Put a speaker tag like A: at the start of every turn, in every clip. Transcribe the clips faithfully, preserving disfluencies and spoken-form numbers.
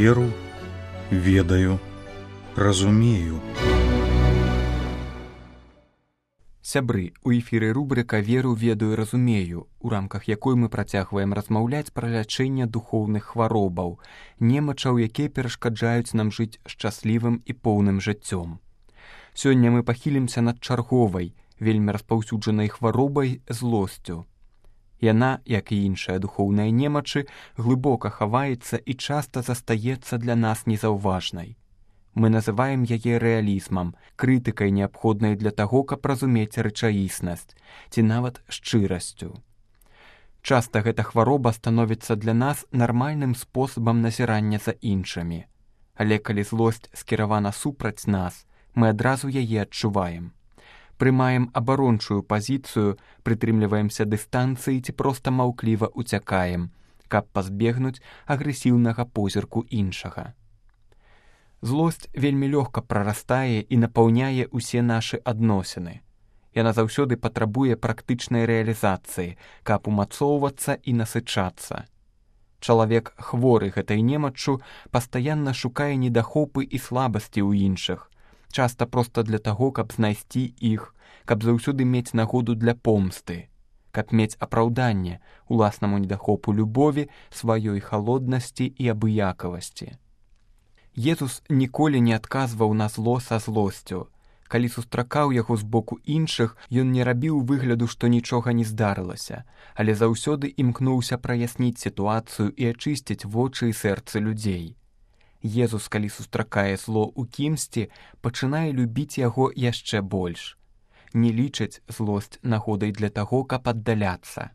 A: Веру, ведаю, разумею.
B: Сябры, у эфіры рубрыка «Веру, ведаю, разумею», у рамках якой мы працягваем размаўляць пра лячэнне духоўных хваробаў, немачаў, якія перашкаджаюць нам жыць шчаслівым і поўным жыццём. Сёння мы пахілімся над чарговай, вельмі распаўсюджанай хваробай злосцю. Яна, як і іншыя духоўныя немачы, глыбока хаваецца і часта застаецца для нас незаўважнай. Мы называем яе рэалізмам, крытыкай, неабходнай для таго, каб разумець рэчаіснасць, ці нават шчырасцю. Часта гэта хвароба становіцца для нас нармальным спосабам назірання за іншымі. Але калі злосць скіравана супраць нас, мы адразу яе адчуваем. Прымаем абарончую пазіцыю, прытрымліваемся дыстанцыі ці проста маўкліва ўцякаем, каб пазбегнуць агрэсіўнага позірку іншага. Злосць вельмі лёгка прарастае і напаўняе ўсе нашы адносіны. Яна заўсёды патрабуе практычнай рэалізацыі, каб умацоўвацца і насычацца. Чалавек, хворы гэтай немаччу, пастаянна шукае недахопы і слабасці ў іншых, часта проста для таго, каб знайсці іх, каб заўсёды мець нагоду для помсты, каб мець апраўданне уласнаму недахопу любові, сваёй халоднасці і абыякавасці. Езус ніколі не адказваў на зло са злосцю. Калі сустракаў яго з боку іншых, ён не рабіў выгляду, што нічога не здарылася, але заўсёды імкнуўся праясніць сітуацыю і ачысціць вочы і сэрцы людзей. Езус, калі сустракае зло ў кімсьці, пачынае любіць яго яшчэ больш. Не лічыць злосць нагодай для таго, каб аддаляцца.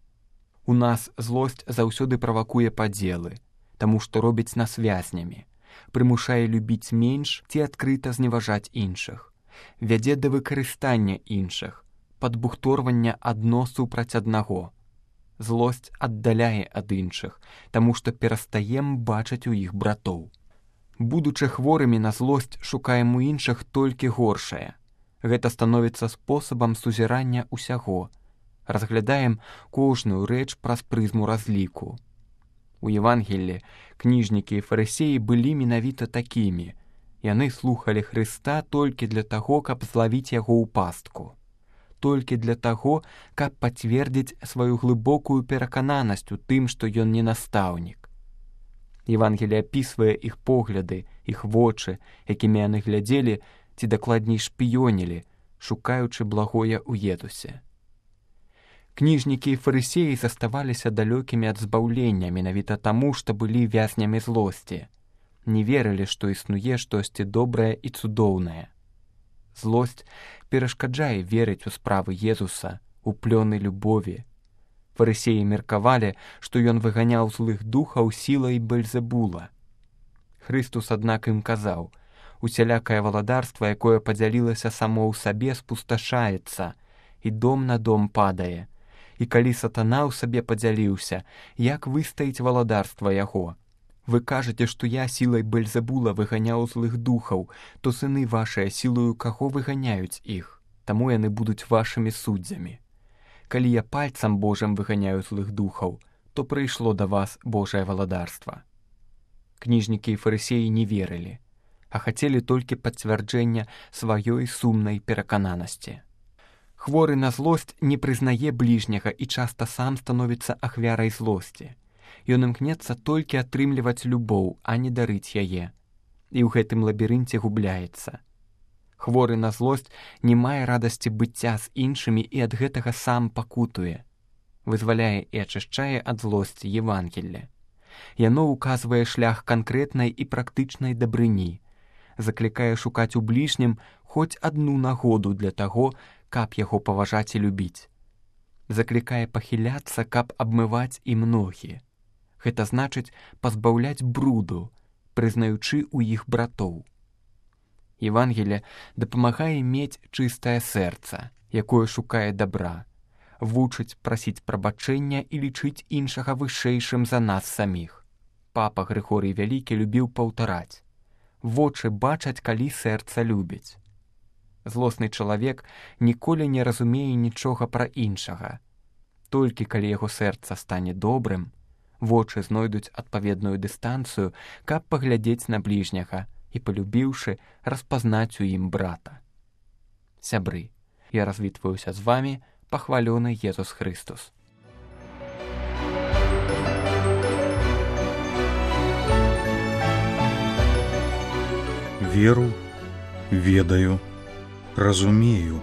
B: У нас злосць заўсёды правакуе падзелы, таму што робіць нас вязнямі, прымушае любіць менш ці адкрыта зневажаць іншых, вядзе да выкарыстання іншых, падбухторвання адно супраць аднаго. Злосць аддаляе ад іншых, таму што перастаем бачыць у іх братоў. Будучы хворымі на злосць, шукаем у іншых толькі горшае. Гэта становіцца спосабам сузірання ўсяго. Разглядаем кожную рэч праз прызму разліку. У Евангеллі кніжнікі і фарысеі былі менавіта такімі. Яны слухалі Хрыста толькі для таго, каб злавіць яго ў пастку. Толькі для таго, каб пацвердзіць сваю глыбокую перакананасць у тым, што ён не настаўнік. Евангелле апісвае іх погляды, іх вочы, якімі яны глядзелі, ці дакладней шпіёнілі, шукаючы благое ў Езусе. Кніжнікі і фарысеі заставаліся далёкімі ад збаўлення менавіта таму, што былі вязнямі злосці. Не верылі, што існуе штосьці добрае і цудоўнае. Злосць перашкаджае верыць у справы Езуса, у плёны любові. Фарысеі меркавалі, што ён выганяў злых духаў сілай Бельзебула. Хрыстус, аднак, ім казаў: усялякае валадарства, якое падзялілася само ў сабе, спусташаецца, і дом на дом падае. І калі сатана ў сабе падзяліўся, як выстаіць валадарства яго? Вы кажаце, што я сілай Бельзебула выганяў злых духаў, то сыны вашыя сілаю каго выганяюць іх, таму яны будуць вашымі суддзямі. Калі я пальцам Божым выганяю злых духаў, то прыйшло да вас Божае валадарства. Кніжнікі і фарысеі не верылі, а хацелі толькі пацвярджэння сваёй сумнай перакананасці. Хворы на злосць не прызнае бліжняга і часта сам становіцца ахвярай злосці. Ён імкнецца толькі атрымліваць любоў, а не дарыць яе. І ў гэтым лабірынце губляецца. Хворы на злосць не мае радасці быцця з іншымі і ад гэтага сам пакутуе. Вызваляе і ачышчае ад злосці Евангелле. Яно ўказвае шлях канкрэтнай і практычнай дабрыні, заклікае шукаць у бліжнім хоць адну нагоду для таго, каб яго паважаць і любіць. Заклікае пахіляцца, каб абмываць і ногі. Гэта значыць пазбаўляць бруду, прызнаючы ў іх братоў. Евангелле дапамагае мець чыстае сэрца, якое шукае дабра, вучыць прасіць прабачэння і лічыць іншага вышэйшым за нас саміх. Папа Грыгорый Вялікі любіў паўтараць: вочы бачаць, калі сэрца любіць. Злосны чалавек ніколі не разумее нічога пра іншага. Толькі калі яго сэрца стане добрым, Вочы знойдуць адпаведную дыстанцыю, каб паглядзець на бліжняга і, палюбіўшы, распазнаць у ім брата. Сябры, я развітваюся з вамі, пахвалёны Езус Христус.
A: Веру, ведаю, разумею.